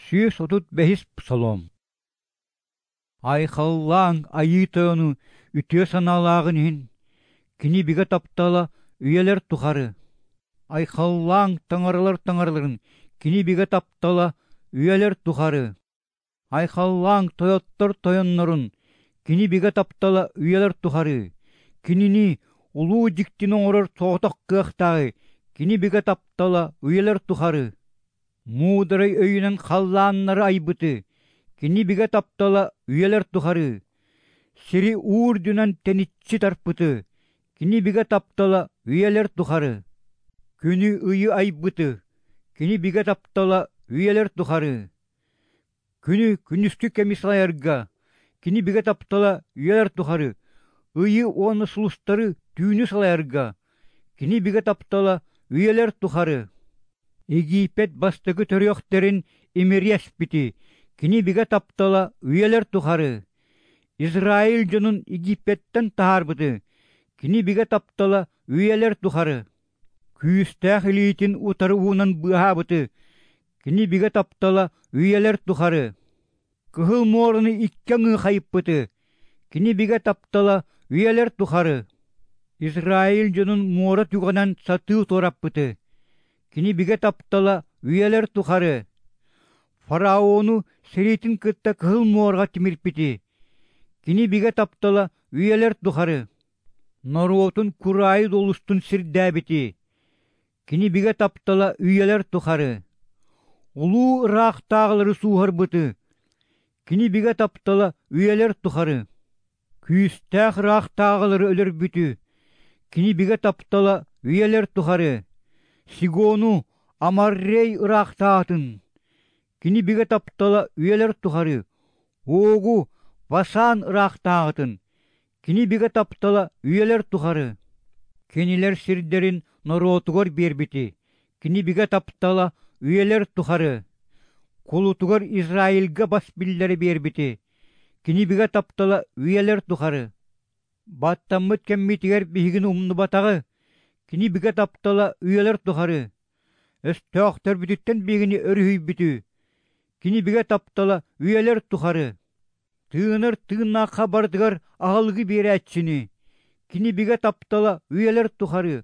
135-ис Псалом. Айхаллааҥ Айыы Тойону үтүө санаалааҕын иһин, Кини бигэ таптала үйэлэр тухары. Айхаллааҥ таҥаралар таҥараларын, Кини бигэ таптала үйэлэр тухары. Айхаллааҥ тойоттор тойоннорун, Кини бигэ таптала үйэлэр тухары. Кинини улуу дьиктини оҥорор соҕотох кыахтааҕы, Кини бигэ таптала үйэлэр тухары. Муударай өйүнэн халлааннары айбыты, Кини бигэ таптала үйэлэр тухары. Сири уу үрдүнэн тэниччи тарпыты, Кини бигэ таптала үйэлэр тухары. Күнү ыйы айбыты, Кини бигэ таптала үйэлэр тухары. Күнү күнүскү кэми салайарга, Кини бигэ таптала үйэлэр тухары. Ыйы уонна сулустары түүнү салайарга, Кини бигэ таптала үйэлэр тухары. Египет бастакы төрүөхтэрин имири эспити, Кини бигэ таптала үйэлэр тухары. Израиль дьонун Египеттэн таһаарбыты, Кини бигэ таптала үйэлэр тухары. Күүстээх илиитин утары уунан быыһаабыты, Кини бигэ таптала үйэлэр тухары. Кыһыл муораны икки аҥыы хайыппыты, Кини бигэ таптала үйэлэр тухары. Израиль дьонун муора түгэҕинэн сатыы туораппыты, Кини бигэ таптала үйэлэр тухары. Фараону сэриитин кытта Кыһыл муораҕа тимирпити, Кини бигэ таптала үйэлэр тухары. Норуотун кураайы долустун сирдээбити, Кини бигэ таптала үйэлэр тухары. Улуу ыраахтааҕылары сууһарбыты, Кини бигэ таптала үйэлэр тухары. Күүстээх ыраахтааҕылары өлөрбүтү, Кини бигэ таптала үйэлэр тухары. Сигону Амаррей ыраахтаатын, Кини бигэ таптала үйэлэр тухары. Огу Васан ыраахтааҕытын, Кини бигэ таптала үйэлэр тухары. Кинилэр сирдэрин норуотугар биэрбити, Кини бигэ таптала үйэлэр тухары. Кулутугар Израильга бас биллэри биэрбити, Кини бигэ таптала үйэлэр тухары. Баттаммыт кэммитигэр биһигини умнубатаҕы, Кини бигэ таптала үйэлэр тухары. Өстөөхтөрбүтүттэн биһигини өрүһүйбүтү, Кини бигэ таптала үйэлэр тухары. Тыынар тыыннаахха барытыгар аһылыгы биэрээччини, Кини бигэ таптала үйэлэр тухары,